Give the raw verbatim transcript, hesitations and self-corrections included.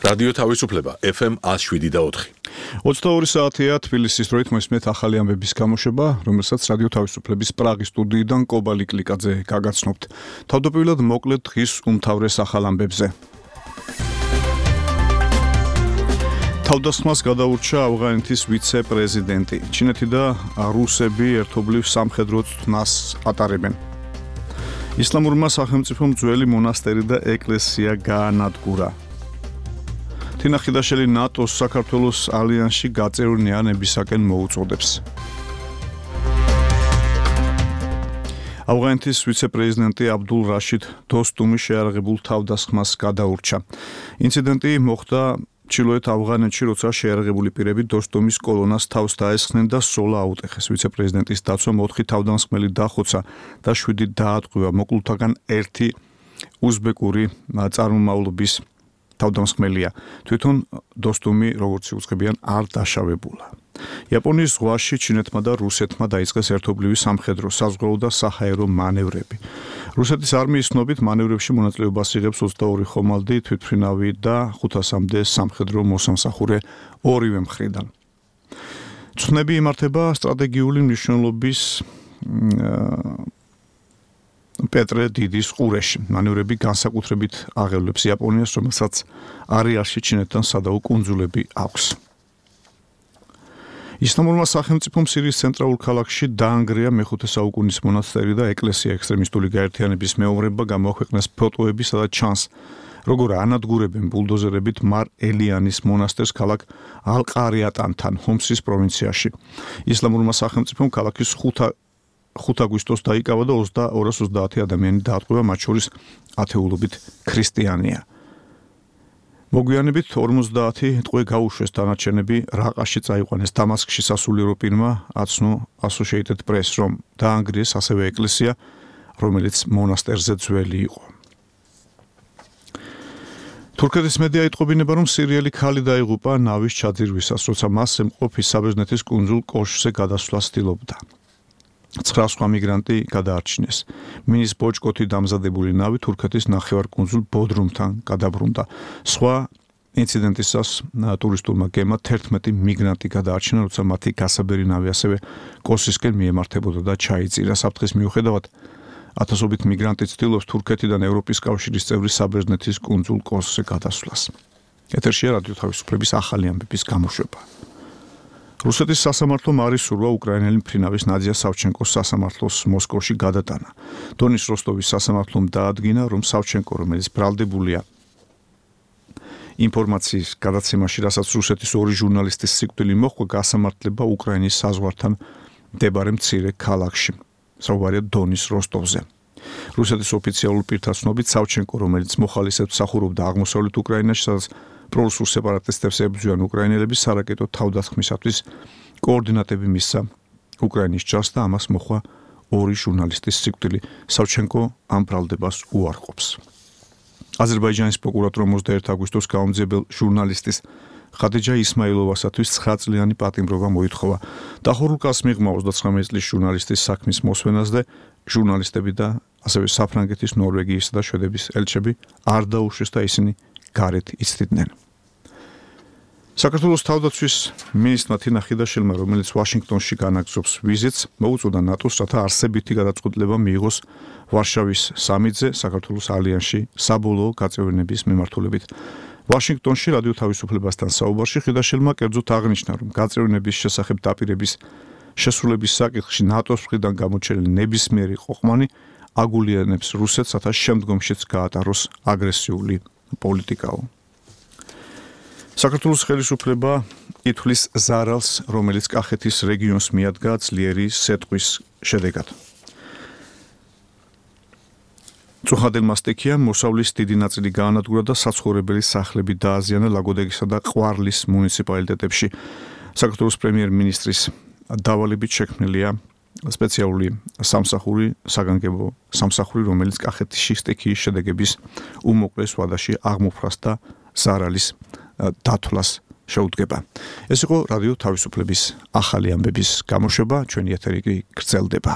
რადიო თავისუფლება ეფ ემ one oh seven და four. ოცდაორი საათია თბილისის დროით მოისმენთ ახალი ამბების გამოშვება, რომელსაც რადიო თავისუფლების პრაღის სტუდიიდან კობალი კლიკაძე გაგაცნობთ. თავდაპირველად მოკლედ დღის უმთავრეს ახალ ამბებზე. თავდასხმას გადაურჩა ავღანეთის ვიცე-პრეზიდენტი. ჩინეთი და რუსები ერთობლივ სამხედრო წვნას ატარებენ. ისლამურმა სახელმწიფომ ძველი მონასტერი და ეკლესია გაანადგურა. თინა ხიდაშელი ნატოს საქართველოს ალიანსში გაწევრიანებისაკენ მოუწოდებს. ავღანეთის ვიცე-პრეზიდენტი აბდულ რაშიდ დოსტუმი შეარაღებულ თავდასხმას გადაურჩა. ინციდენტი მოხდა ჩრდილოეთ ავღანეთში, როცა შეარაღებული პირები დოსტუმის კოლონას თავს დაესხნენ და სოლა აუტეხეს. ვიცე-პრეზიდენტის დაცვამ ოთხი თავდამსხმელი დახოცა და შვიდი დაატყვევა. მოკლულთაგან ერთი უზბეკური წარმომავლობის თავდამსხმელია. თვითონ დოსტუმი, როგორც უცხებიან, არ დაშავებულა. იაპონიის ზღვაში ჩინეთმა და რუსეთმა დაიწყეს ერთობლივი სამხედრო, საზღვაო და საჰაერო მანევრები. რუსეთის არმიის ცნობით მანევრებში მონაწილეობას იღებს ოცდაორი ხომალდი, თვითმფრინავი და ხუთასამდე სამხედრო მოსამსახურე ორივე მხრიდან. ცნები იმართება სტრატეგიული მნიშვნელობის პეტრე დიდის ყურეში. მანევრები განსაკუთრებით აღელვებს იაპონიას, რომელსაც არეალში ჩინეთთან სადაო კუნძულები აქვს. ისლამურმა სახელმწიფომ სირიის ცენტრალურ ქალაქში დაანგრია მეხუთე საუკუნის მონასტერი და ეკლესია. ექსტრემისტული გაერთიანების მეომრებმა გამოაქვეყნეს ფოტოები, სადაც ჩანს, როგორ ანადგურებენ ბულდოზერებით მარ ელიანის მონასტერს ქალაქ ალ-ყარიატანთან, ჰომსის პროვინციაში. ისლამურმა სახელმწიფომ ქალაქის ხუთ აგვისტოს დაიკავა და ორას ოცდაათი ადამიანი დაატყვევა, მათ შორის ათეულობით ქრისტიანია. მოგვიანებით ორმოცდაათი ტყვე გაუშვეს, დანარჩენები რაყაში წაიყვანეს. დამასკში სასულიერო პირმა აცნო Associated Press, რომ დაანგრიეს ასევე ეკლესია, რომელიც მონასტერზე ძველი იყო. თურქეთის მედია იტყობინება, რომ სირიელი ქალი დაიღუპა ნავის ჩაძირვისას, როცა მას ემყოფი საბერძნეთის კუნძულ კოშკზე გადასვლას ცდილობდა. ცხრა სხვა მიგრანტი გადაარჩინეს. მინის ბოჭკოთი დამზადებული ნავი თურქეთის ნახევარკუნძულ ბოდრუმთან გადაბრუნდა. სხვა ინციდენტისას ტურისტულმა გემმა თერთმეტი მიგრანტი გადაარჩინა, როცა მათი გასაბერი ნავი ასევე კოსისკენ მიემართებოდა და ჩაიწირა. საფრთხის მიუხედავად, ათასობით მიგრანტი ცდილობს თურქეთიდან ევროპის კავშირის წევრი საბერძნეთის კუნძულ კოსზე გადასვლას. ეთერშია რადიო თავისუფლების ახალი ამბების გამოშვება. რუსეთის სასამართლომ არ ისურვა უკრაინელი მფრინავის ნადია სავჩენკოს სასამართლოს მოსკოვში გადატანა. დონის როსტოვის სასამართლომ დაადგინა, რომ სავჩენკო, რომელიც ბრალდებულია ინფორმაციის გადაცემაში, რასაც რუსეთის ორი ჟურნალისტის სიკვდილი მოჰყვა, გასამართლება უკრაინის საზღვართან მდებარე მცირე ქალაქში. საუბარია დონის როსტოვზე. რუსეთის ოფიციალურ პირთა ცნობით, სავჩენკო, რომელიც მოხალისედ მსახურობდა აღმოსავლეთ უკრაინაში, სადაც პრორუსულ სეპარატისტებს ებრძვიან უკრაინელები, სარაკეტო თავდასხმისათვის კოორდინატები მისცა უკრაინის ჯარს და ამას მოჰყვა ორი ჟურნალისტის სიკვდილი. სავჩენკო ამ ბრალდებას უარყოფს. აზერბაიჯანის პროკურატურა ოცდაერთი აგვისტოს გაუმძიებელ ჟურნალისტის ხადიჯა ისმაილოვასათვის ცხრა წლიანი პატიმრობა მოითხოვა. დახურულ კაცს მიღმა ოცდაცხრამეტი წლის ჟურნალისტის საქმის მოსვენას და ჟურნალისტები და ასევე საფრანგეთის, ნორვეგიისა და შვედეთის ელჩები არ დაუშვეს და ისინი გარეთ იცდიდნენ. საქართველოს თავდაცვის მინისტრმა თინა ხიდაშელმა, რომელიც ვაშინგტონში განაგრძობს ვიზიტს, მოუწოდა ნატოს, რათა არსებითი გადაწყვეტილება მიიღოს ვარშავის სამიტზე საქართველოს ალიანსში საბოლოო გაწევრიანების მიმართულებით. ვაშინგტონში რადიო თავისუფლებასთან საუბარში ხიდაშელმა კერძოდ აღნიშნა, რომ გაწევრიანების შესახებ დაპირების შესრულების საკითხში ნატოს მხრიდან გამოჩენილი ნებისმიერი ყოყმანი აგულიანებს რუსეთს, რათა შემდგომშიც გაატაროს აგრესიული პოლიტიკაო. საქართველოს ხელისუფლება ითვლის ზარალს, რომელიც კახეთის რეგიონს მიადგა ძლიერი სეტყვის შედეგად. წუხადილმა სტიქიამ მოსავლის დიდი ნაწილი გაანადგურა და საცხოვრებელი სახლები დააზიანა ლაგოდეხისა და ყვარლის მუნიციპალიტეტებში. საქართველოს პრემიერ-მინისტრის დავალებით შექმნილია სპეციალური სამსახური, საგანგებო სამსახური, რომელიც კახეთში სტიქიის შედეგების უმოკლეს ვადაში აღმოფხვრას და ზარალის დათვლას შეუდგება. ეს იყო რადიო თავისუფლების ახალი ამბების გამოშვება, ჩვენი ეთერი კი გრძელდება.